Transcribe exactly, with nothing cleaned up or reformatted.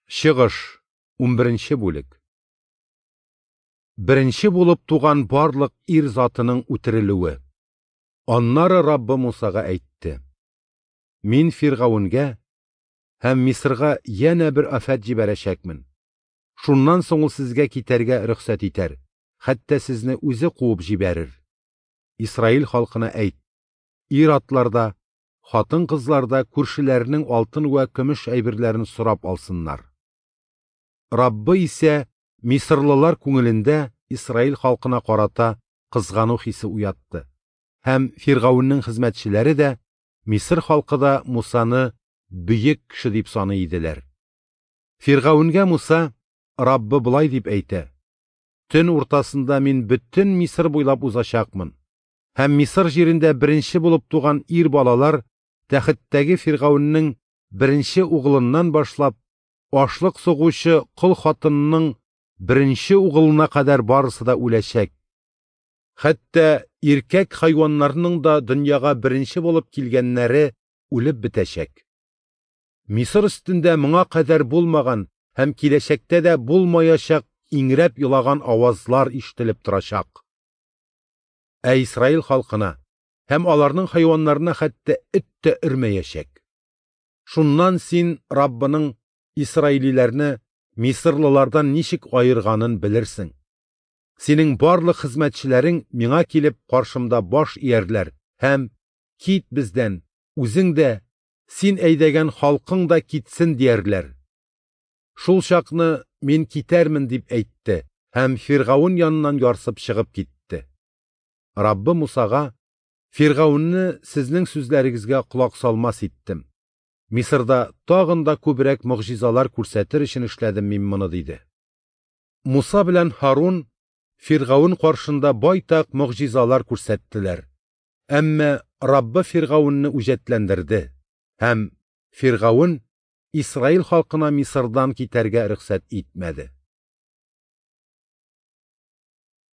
Чыгыш, унберенче бүлек. Беренче булып туган барлык ир затының үтерелүе. Аннары Раббы Мусага әйтте: Мин Фиргавенгә һәм Мисырга янә бер афәт җибәрәчәкмен. Шуннан соң ул сезгә китәргә рөхсәт итәр, хәтта сезне үзе куып җибәрер. Исраил халкына әйт: ир-атлар да, хатын-кызлар да күршеләренең алтын вә көмеш әйберләрен сорап алсыннар. Раббы исә мисырлылар күңелендә Исраил халкына карата кызгану хисе уятты. Һәм Фиргавеннең хезмәтчеләре дә, Мисыр халкы да Мусаны бөек кеше дип саный иделәр. Фиргавенгә Муса: Раббы болай дип әйтә: Төн уртасында мин бөтен Мисыр буйлап узачакмын. Һәм Мисыр җирендә беренче булып туган ир балалар тәхеттәге Фиргавеннең беренче угылыннан башлап ашлык сугучы кол хатынының беренче угылына кадәр барысы да үләчәк. Хәтта иркәк хайваннарның да дөньяга беренче булып килгәннәре үлеп бетәчәк. Мисыр өстендә моңа кадәр булмаган һәм киләчәктә дә булмаячак иңрәп елаган авазлар ишетелеп торачак. Ә Исраил халкына һәм аларның хайваннарына хәтта эт тә өрмәячәк. Шуннан син Раббының исраилиләрне мисырлылардан ничек аерганын белерсең. Синең барлык хезмәтчеләрең миңа килеп каршымда баш иярләр һәм кит бездән, үзең дә, син әйдәгән халкың да китсен диярләр. Шул чакны мин китәрмен дип әйтте һәм Фиргавен яныннан ярсып чыгып китте. Раббы Мусага: Фиргавенне сезнең сүзләрегезгә колак салмас иттем. Мисырда тагын да күбрәк могҗизалар күрсәтер өчен эшләдем мин моны, диде. Муса белән Һарун Фиргавен каршында байтак могҗизалар күрсәттеләр. Әмма Раббы Фиргавенне үҗәтләндерде һәм Фиргавен Исраил халкына Мисырдан китәргә рөхсәт итмәде.